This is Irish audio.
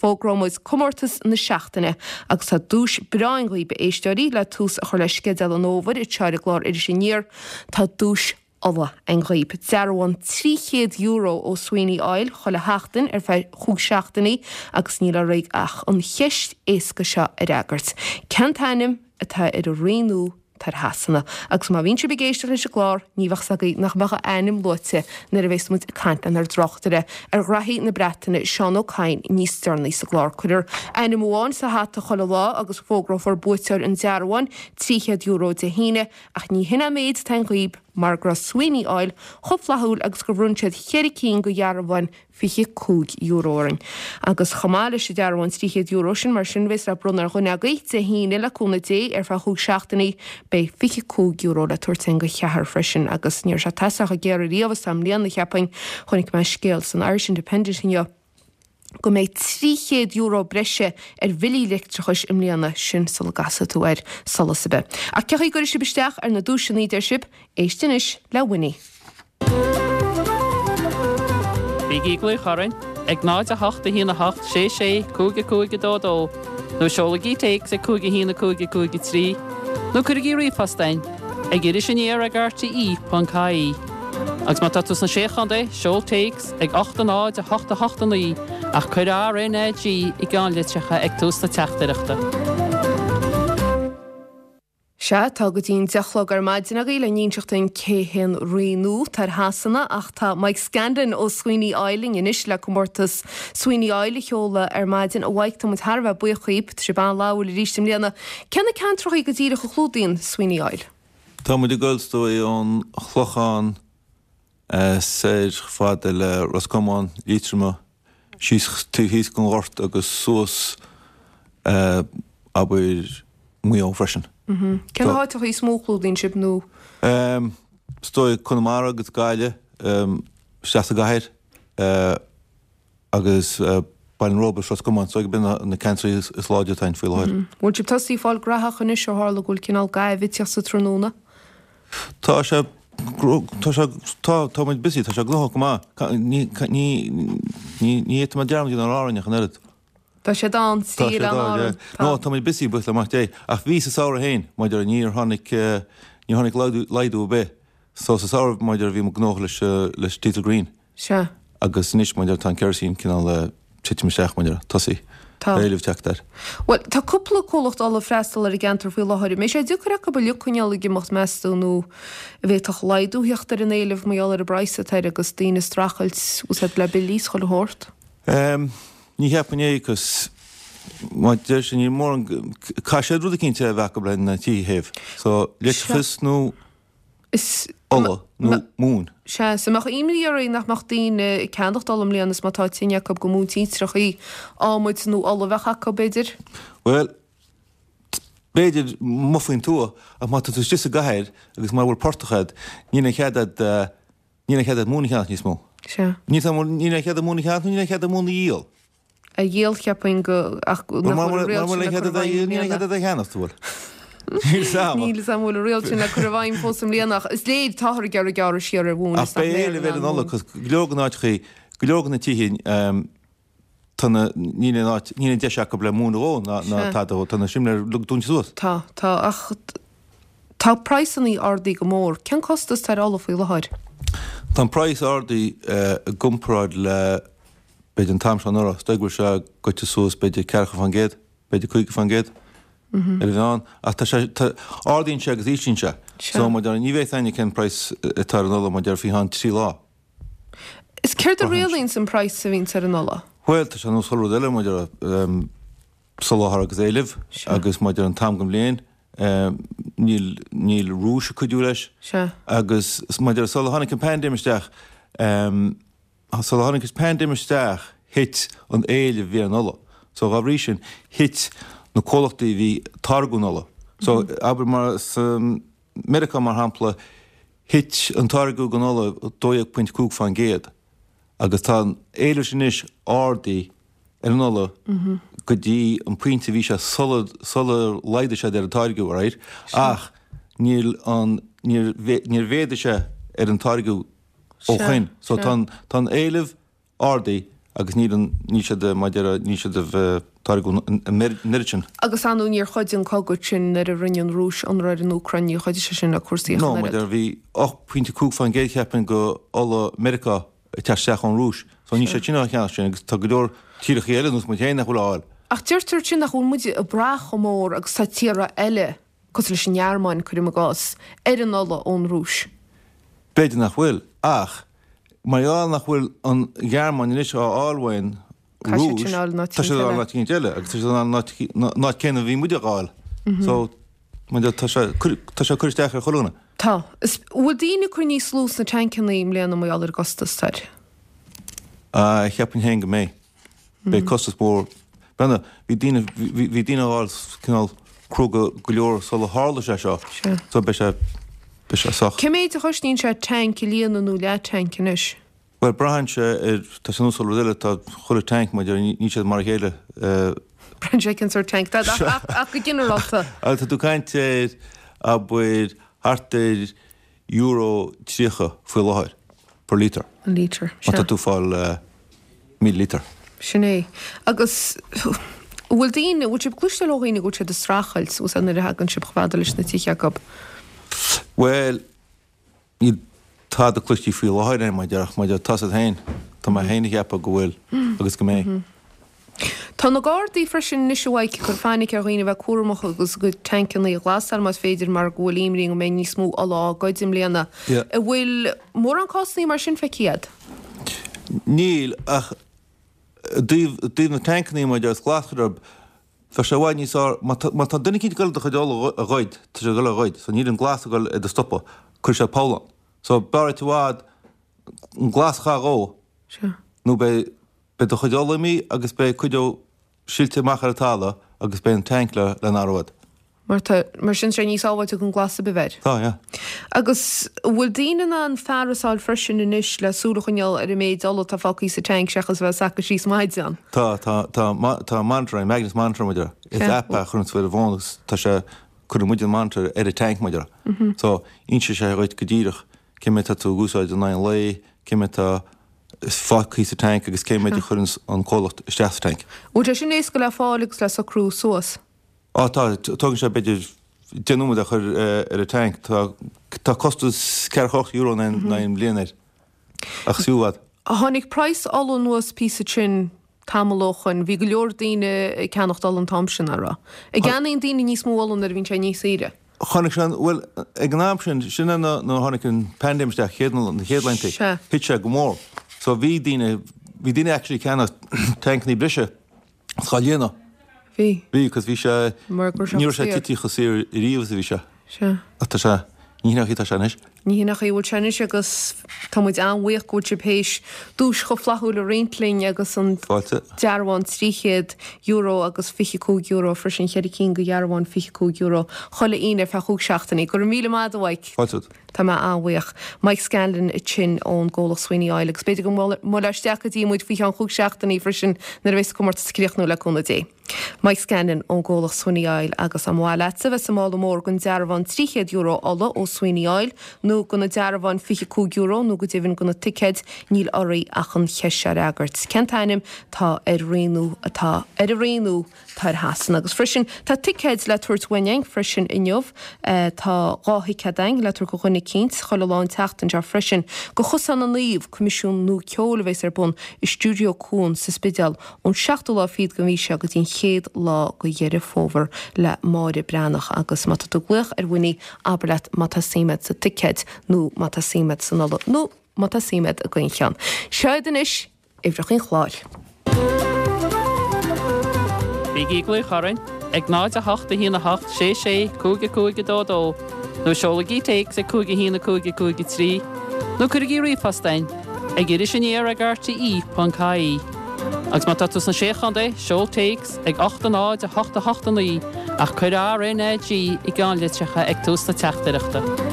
Fógróidh muid comórtas na seachtaine agus tá duais breá againn dhaoibh, a éisteoirí, le tús a chur le sceideal an fhómhair anseo ar an gclár Iris Aniar. Tá duais ola againn dhaoibh. Dearbhán €300 ó Sweeney Oil chuile sheachtain ar feadh chúig seachtainí agus níl oraibh ach an cheist éasca seo a fhreagairt. Cén t-ainm atá ar an rí nua atá ar Shasana? Agus má bhíonn sibh ag éisteacht leis an gclár, ní bheadh 's agaibh nach mbeadh a ainm luaite nuair a bhéas muid ag caint lenár dtráchtaire ar ghraithí na Breataine, Seán Ó Cadhain, níos deireanaí sa gclár. Cuirfear ainm amháin sa hata chuile lá agus fógrófar buaiteoir an dearbháin €300 Dé hAoine Ach ní hin an méid atá againn dhaoib, mar go raibh Sweeney Oil chomh flaithiúil agus gur bhronn siad cheithre cinn de dhearbháin €25 orainn. Agus chomh maith leis an dearbhán €300 sin, mar sin, bhéas le bronnadh ar dhuine agaibh Dé hAoine, le cúnamh Dé, ar feadh chúig seachtainí, beidh €25 le tabhairt againn do cheathrar freisin. Agus ní raibh sé taise chomh géar ariamh is atá i mbliana, cheapfainn. Chonaic mé scéal san Irish Independent inniu. go mbeidh €300 breise ar bhillí leictreachais i mbliana, sin sula gcasfaidh tú ar solas ar bith. Ach cén chaoi a gcuirfidh sibh isteach ar na duaiseanna, deir sibh? Éist anois le Winnie. Bígí ag glaoch orainn ag 0 8 1 8 6 6 5 5 2 2 nó seolaigí téacs ag 5 1 5 5 3 nó cuirigí ríomhphost chugainn ag irisaniar ag rte.ie. Agus má tá tú sna Sé Chontae, seol téacs ag 8 0 8 8 9 ach cuir RNAG i gceannlitreacha ag tús na teachtaireachta. Sea, tá go dtí an 10 a chlog ar maidin agaibh le n-inseacht dúinn cé hé an rí nua atá ar Shasana ach tá Mike Scanlon ó Sweeney Oil linn anois le comórtas Sweeney Oil a sheoladh ar maidin. A Mhaidhc, tá muid thar a bheith buíoch dhíbh, tá sibh an-fhlaithiúil arís i mbliana. Cé na ceantrachaí go díreach a chlúdaíonn Sweeney Oil? Tá muid ag goil is dóigh ón Chlochán soir fada le Ros Comáin, Liatroma, síos taobh thíos den Ghort agus suas abair Maigh Eo freisin. Cé na háiteacha is mó a chlúdaíonn sibh nó? Is dóigh Conamara agus Gaillimh, isteach sa gcathair agus Baile an Róba is Ros Comáin, is dóigh gurb in na ceantraí is láidre atá ann faoi láthair. Bhfuil sibh tosaithe ag fáil graitheach anois ó tharla go bhfuil cineál gaimhe ag tíocht sa tráthnóna? Tá sé, tá sé, tá, tá muid busy, tá sé gnóthach go maith. Ní, ní, ní, ní fhéadfaidh mé dearmad a dhéanamh ar Árainn ach an oiread. Tá sé ann, Tá sé ann, yeah. No, tá muid busy, buíochas le Mac Dé. Ach bhí sa samhradh féin, maidir, níor tháinig, níor tháinig laghdú, laghdú ar bith. So sa samhradh, maidir, bhí muid gnóthach leis, leis diesel green. Sea. Agus anois, maidir, tá an kerosene cineál ag titim isteach, maidir, tosaí. Tá. Éileamh teacht air. Bhuel, tá cúpla comhlacht ola ag freastal ar an gceantar faoi láthair. An mbeidh sé deacair acu uilig coinneáil ag imeacht, meas tú, nó an bhféadfadh laghdú theacht ar an éileamh mar gheall ar an bpraghas atá air agus daoine ag streachailt, úsáid le billí is chuile shórt? Ehm, ní cheapfainn é, 'cause má deir sé, níl mórán, caithfidh siad rud eicínt a bheith acu le na tithe a théamh. So, leictreachas nó Is. ola nó móin. Sea, is an mbeadh imní oraibh nach mbeadh daoine ag ceannacht ola i mbliana is má tá tine acu go mó tintreachaí, adhmaid nó ola a bheadh acu, b'fhéidir? Bhuel, b'fhéidir amuigh faoin tuath, ach má tá tú istigh sa gcathair agus mura bhfuil portach agat, níl aon chead agat, níl aon chead agat móin a cheannach níos mó. Sea. Níl aon chead agat móin a cheannach nó níl aon chead agat móin a dhíol. a dhíol, cheapfainn go, ach nach bhfuil an riail sin le cur i bhfeidhm i mbliana. Níl 'fhios a'm. Níl 'fhios a'm an bhfuil an riail sin le cur i bhfeidhm fós i mbliana ach is léir táthar ag iarraidh gearradh siar ar mhóin Ach is nach beidh mbeifear éileamh in ar ann an ola móin. cos go leor de na áiteachaí, go leor de na tithe tá na, níl aon áit, níl aon deis acu le móin a dhó ná ná Sea. tada a dhó, tá na simléir uilig dúnta suas. Tá, tá, ach tá praghsannaí ardaithe go mór. Cén costas atá ar ola faoi láthair? Tá an praghas ardaithe i gcomparáid le b'fhéidir an t-am seo anuraidh, is dóigh go bhfuil sé goite suas b'fhéidir 40%, b'fhéidir 50% ar an mheán, ach tá sé, tá, ardaíonn sé agus íslíonn sé. Sea. So, mar a déarfá, ní bheidh 'fhios a'inne cén praghas atá ar an ola mar a déarfá faoi cheann trí lá. Is céard a rialaíonns an praghas a bhíonns ar an ola? Bhuel, tá sé ar nós chuile rud eile mar a déarfá, soláthar agus éileamh Sea. agus mar a déarfá an t-am den bhliain, níl, níl Rúis ag cuidiú leis. Sea. Agus mar a déarfá sula tháinig an paindéim isteach, Sula tháinig an paindéim isteach, thit an éileamh a bhí ar an ola. So, dhá bhrí sin, thit na comhlachtaí a bhí ag táirgeadh an ola. So, abair mar sa Meiriceá, mar shampla, thit an táirgeadh den ola 12.5% agus tá an éileamh sin anois ardaithe ar an ola go dtí an pointe a bhí sé sular sular laghdaigh siad ar an táirgeadh, alright? Ach níl an, níor níor mhéadaigh sé ar an táirgeadh ó shoin. So tá an, tá an éileamh ardaithe. agus níl an, níl siad, mar a déarfá, níl siad ag táirgeadh an oiread sin. Agus ar ndóigh níor chuidigh an cogadh sin nuair a rinne an Rúis ionradh ar an Úcráin, níor chuidigh sé sin le cúrsaí ach an oiread. No, mar a déarfá, bhí 8.5% cheapfainn go ola Meiriceá ag teacht isteach ón Rúis, so níl siad sin á cheannach sin agus tá go leor tíorthacha eile nós muid féin nach bhfuil á fháil. Ach deirtear ansin nach bhfuil muid ag brath chomh mór agus tá tíortha eile, cosúil leis an nGearmáin, cuirim i gcás, ar an ola ón Rúis. B'fhéidir nach bhfuil, ach mar gheall nach bhfuil an Ghearmáin anois á fháil ón Rúis, tá siad á fháil in áit eicínt eile agus tá siad á fháil in áit céanna a bhí muid á fháil. So, mar tá sé tá sé ag cur isteach ar chuile dhuine. Tá. Is, bhfuil daoine ag cur níos lú sna tancanna i mbliana mar gheall ar an gcostas atá air? Ah, cheapfainn féin go mbeidh. Beidh costas mór. Brenna, bhí daoine, bhí daoine á fháil cineál cróga go leor sula tharla sé seo. Sea. So beidh sé, beidh sé sách. Cé méid a chosnaíonn sé tanc a líonadh nó leath-tanc anois? Bhuel, braitheann sé ar, tá sé nós chuile rud eile, tá chuile tanc, mar a déarfá, níl siad mar a chéile. Braitheann sé cén sórt tanc, tá, ach, ach go ginearálta. Tá tú ag caint ar, abair, thart ar euro 30 faoi láthair per litre. An litre, sea. Má tá tú ag fáil 1,000 litre. Sin é. Agus an bhfuil daoine, an bhfuil sibh ag cloisteáil ó dhaoine go bhfuil siad ag streachailt, bhfuil sé nuair a thagann sibh chomh fada leis na tithe acu? Bhuel, níl tada cloiste faoi láthair agam, mar a déarfá, mar tá siad féin, tá mé féin ag ceapadh go bhfuil agus go mbeidh. Tá na Gardaí freisin anois a Mhaidhc ag cur fainic ar dhaoine a bheith cúramach agus a gcuid tancanna a ghlasáil más féidir mar go bhfuil imní go mbeidh níos mó ola á goid i mbliana. An bhfuil mórán cásanna mar sin feicthe agat? Níl, ach i dtaobh, i dtaobh na tancanna mar a déarfá is glasachar orthu, bheadh sé i bhfad níos fearr, má tá, má tá duine eicínt ag goil do chuid ola a ghoid, tá sé ag goil a ghoid, so níl an glas ag goil é do stopadh, cuirfidh sé poll ann. So b'fhearr duit i bhfad an glas a chaitheamh dhó, nó beidh, Beidh do chuid ola imithe agus beidh cuid dhó silte amach ar an talamh agus beidh an tanc le n-athrú agat. Mar tá, mar sin sé níos sábháilte an glas a bheith air. Tá, yeah. Agus an bhfuil daoine in ann fearas a fháil freisin anois le súil a choinneáil ar an méid ola atá fágtha sa tanc seachas a bheith ag sacadh síos maidin? Tá, tá, tá, tá monitor ann, Magnus Monitor mar a déarfá. Is app é a chuireann tú ar an bhfón agus tá sé, cuireann muid an monitor ar an tanc mar a déarfá. So, inseoidh sé dhuit go díreach cé méid tá tú ag úsáid in aghaidh an lae, cé méid tá fágtha sa tanc agus cé méid a chuireann an comhlacht isteach sa tanc. Bhfuil sé sin éasca le fáil agus le socrú suas? Á tá, tógann sé b'fhéidir 10 nóiméad a chur ar an tanc. Tá tá costas €48 in aghaidh an bhliain air ach is fiú i bhfad. Tháinig praghas ola anuas píosa ansin tamall ó shoin. Bhí go leor daoine ag ceannacht ola an t-am sin, an raibh? An gceannaíonn daoine níos mó ola nuair a bhíonn sé níos saoire? Chonaic sé an, bhuel, ag an am sin, sin é nuair a tháinig an paindéim isteach, chéad, na chéad laethanta, Sea. thit sé go mór. So bhí daoine, bhí daoine actually ag ceannach tancannaí breise is dhá líonadh. Bhí. Bhí, cos bhí sé, Mar go raibh sé ní raibh sé saor. tite chomh saor ariamh is a bhí sé. Sea. Ach tá sé, ní hin an chaoi atá sé anois. Ní hin an chaoi a bhfuil sé anois agus tá muid an-bhuíoch go bhfuil sibh théis duais chomh flaithiúil a roinnt linn agus an Fáilte. dearbhán €300 agus €25 freisin, cheithre cinn de dhearbháin €25 chuile Aoine ar feadh chúig seachtainí. Go raibh míle maith agat a Mhaidhc. Fáilte romhat. Tá mé an-bhuíoch. Mike Scanlon ansin ón gcomhlacht Sweeney Oil agus b'fhéidir go mbuailfeá isteach go dtí muid faoi cheann chúig seachtainí freisin nuair a bheas an comórtas ag críochnú le cúnamh Dé. Mike Scanlon ón gcomhlacht Sweeney Oil agus dá mba mhaith leatsa bheith sa mála mór don dearbhán €300 ola ó Sweeney Oil nó do na dearbháin €25 nó go deimhin do na ticéid níl oraibh ach an cheist seo a fhreagairt. Cén t-ainm tá ar rí nua atá ar an rí nua atá ar Shasana? Agus freisin tá ticéid le tabhairt uainn againn freisin inniu. Tá 2 thicéad againn le tabhairt do dhuine eicínt chuile lá an tseachtain seo freisin go Chosán na Naomh, coimisiún nua ceoil a bheas ar bun i Stiúideo Cuan sa Spidéal ón seachtú lá fichead den mhí seo go dtí an chéad lá de Dheireadh Fómhair le Máire Breathnach agus má tá tú ag glaoch ar Winnie abair leat má tá suim agat sa ticéad nó má tá suim agat san ola nó má tá suim agat i gcaon cheann. Seo iad anois uimhreacha an chláir. Bígí ag glaoch orainn ag 0 8 1 8 6 6 5 5 2 2 nó seolaigí téacs ag 5 1 5 5 3 nó cuirigí ríomhphost againn ag iris aniar ag rte.ie. Agus má tá tú sna Sé Chontae, seol téacs ag 8 0 8 8 9 ach cuir RNAG i gceannlitreacha ag tús na teachtaireachta.